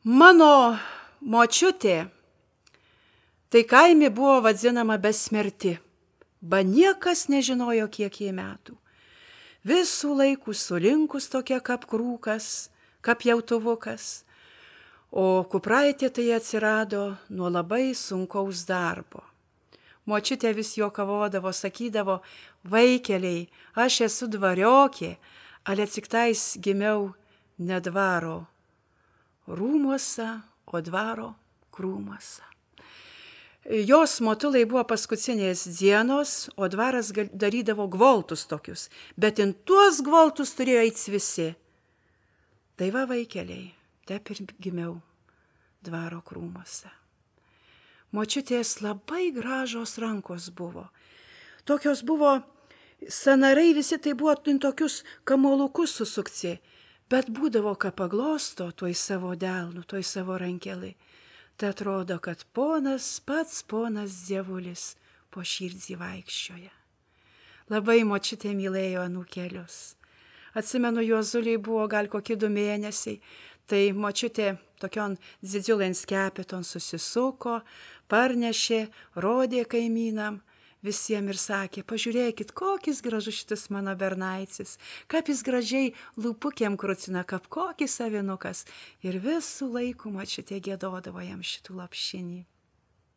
Mano močiutė, tai kaime buvo vadinama besmerti, ba niekas nežinojo, kiek jai metų. Visų laikų sulinkus tokia kaip krūkas, kaip jautuvukas, o kupraitė tai atsirado nuo labai sunkaus darbo. Močiutė vis juokavodavo, sakydavo, vaikeliai, aš esu dvariokė, ale tik tais gimiau ne dvaro rūmuose, o dvaro krūmuose. Jos motulai buvo paskutinės dienos, o dvaras darydavo gvoltus tokius, bet in tuos gvoltus turėjo eiti visi. Tai va, vaikeliai, taip ir gimiau dvaro krūmuose. Močiutės labai gražios rankos buvo. Tokios buvo, sanarai visi tai buvo tokius kamuolukus susukti, bet būdavo, ką paglosto toj savo delnu, toj savo rankelį. Tai atrodo, kad pats ponas dievulis po širdį vaikščioja. Labai močiutė mylėjo anūkelius. Atsimenu, Juozuliai buvo gal kokie 2 mėnesiai, tai močiutė tokion didžiulėn skepeton susisuko, parnešė, rodė kaimynam visiems ir sakė, pažiūrėkit, kokis gražus šitas mano bernaicis, kaip jis gražiai lūpukėm krucina, kaip kokis avinukas. Ir visų laikų močiutė giedodavo jam šitų lopšinį.